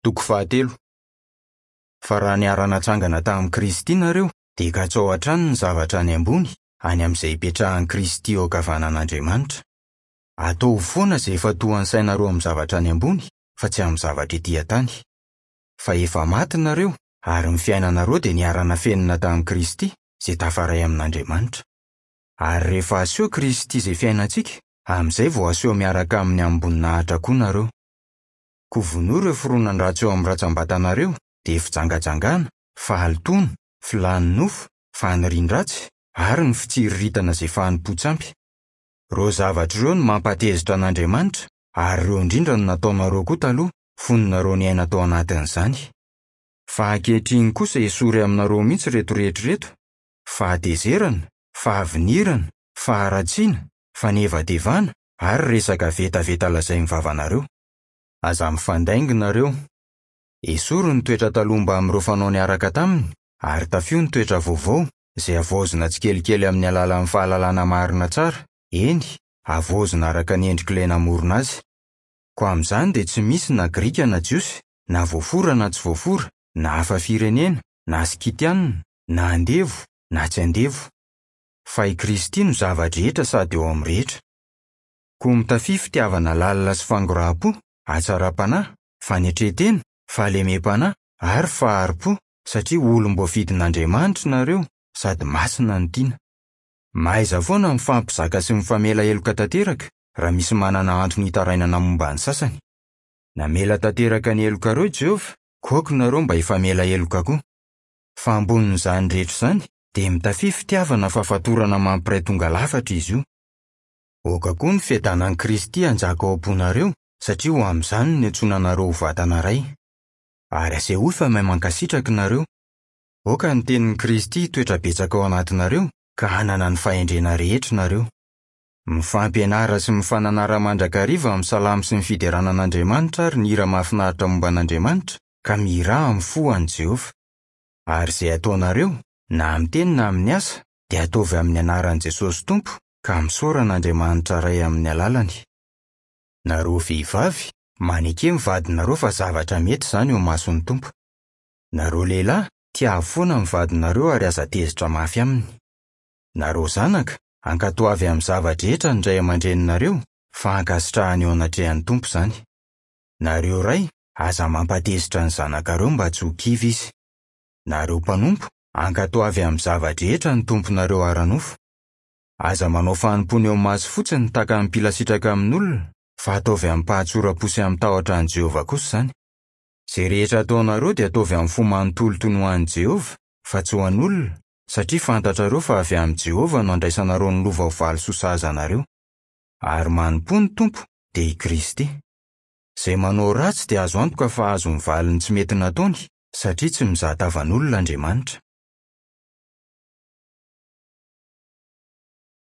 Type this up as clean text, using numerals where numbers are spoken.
Toko fahatelo. Fa raha niara-natsangana tamin'i Kristy nareo, dia katsao hatrany ny zavatra any ambony, any amin'izay ipetrahan'i Kristy eo ankavanan'Andriamanitra. Ataovy foana izay ifantohan'ny sainareo amin'ny zavatra any ambony, fa tsy amin'ny zavatra ety an-tany. Fa efa maty nareo, ary ny fiainanareo dia niara-nafenina tamin'i Kristy, izay tafaray amin'Andriamanitra. Ary rehefa aseho Kristy izay fiainantsika, amin'izay vao aseho miaraka aminy amim-boninahitra koa nareo. Koa vonoy ireo fironan-dratsy eo amin'ny rantsambatanareo, dia fijangajangana, fahalotoana, filàn'ny nofo, fanirian-dratsy, ary ny fitsiriritana izay fanompoan-tsampy. Ireo zavatra ireo no mampatezitra an'Andriamanitra, ary ireo indrindra no nataonareo koa taloha, fony nareo niaina tao anatin'izany. Fa ankehitriny kosa esory aminareo mihitsy ireto rehetra ireto, fahatezerana, fahavinirana, faharatsiana, fanevatevana, ary resaka vetaveta lazain'ny vavanareo. Aza mifandainga nareo. Esory ny toetra taloha mbamin'ireo fanao niaraka taminy, ary tafio ny toetra vaovao, izay havaozina tsikelikely amin'ny alalan'ny fahalalana marina tsara, eny, havaozina araka ny endrik'ilay namorona azy. Koa amin'izany dia tsy misy na Grika na Jiosy, na voafora na tsy voafora, na hafa firenena, na Skitiana, na andevo, na tsy andevo. Fa i Kristy no zava-drehetra sady eo amin'ny rehetra. Koa mitafia fitiavana lalina sy fangoraham-po, hatsaram-panahy, fanetren-tena, fahalemem-panahy ary fahari-po, satria olom-boafidin'Andriamanitra nareo sady masina no tiana. Mahaiza foana mifampizaka sy mifamela heloka tanteraka raha misy manana antony hitarainana momba ny sasany. Namela tanteraka ny helokareo i Jehovah, koa aoka nareo mba hifamela heloka koa. Fa ambonin'izany rehetra izany, dia mitafia fitiavana fa fatorana mampiray tonga lafatra izy io. Aoka koa ny fiadanan'i Kristy hanjaka ao am-ponareo, satria ho amin'izany no niantsoana anareo ho vatana iray. Ary asehoy fa mahay mankasitraka ianareo. Aoka ny tenin'i Kristy hitoetra betsaka ao anatinareo, ka hanana ny fahendrena rehetra ianareo. Mifampianara sy mifananara mandrakariva amin'ny salamo sy ny fiderana an'Andriamanitra ary ny hira mahafinaritra momba an'Andriamanitra, ka mihirà amin'ny fo ho an'i Jehovah. Ary izay ataonareo, na amin'ny teny na amin'ny asa, dia ataovy amin'ny anaran'i Jesosy Tompo, ka misaora an'Andriamanitra Ray amin'ny alalany. Nareo vehivavy, maneke ny vadinareo fa zavatra mety izany eo imason'ny Tompo. Nareo lehilahy, tiavo foana ny vadinareo ary aza tezitra mafy aminy. Nareo zanaka, ankatoavy amin'ny zava-drehetra ny ray aman-dreninareo, fa ankasitrahana eo anatrehan'ny Tompo izany. Nareo ray, aza mampatezitra ny zanakareo mba tsy ho kivy izy. Nareo mpanompo, ankatoavy amin'ny zava-drehetra ny tomponareo ara-nofo. Aza manao fanompoana eo maso fotsiny tahaka ny mpila sitraka amin'olona, fa ataovy amim-pahatsoram-po sy amin-tahotra an'i Jehovah kosa izany. Izay rehetra ataonareo dia ataovy amin'ny fo manontolo toy ny ho an'i Jehovah, fa tsy ho an'olona, satria fantatrareo fa avy amin'i Jehovah no andraisanareo ny lova ho valisoa sahaza anareo. Ary manompoa ny Tompo, dia i Kristy. Izay manao ratsy dia azo antoka fa hahazo ny valiny tsy mety nataony, satria tsy mizaha tavan'olona Andriamanitra.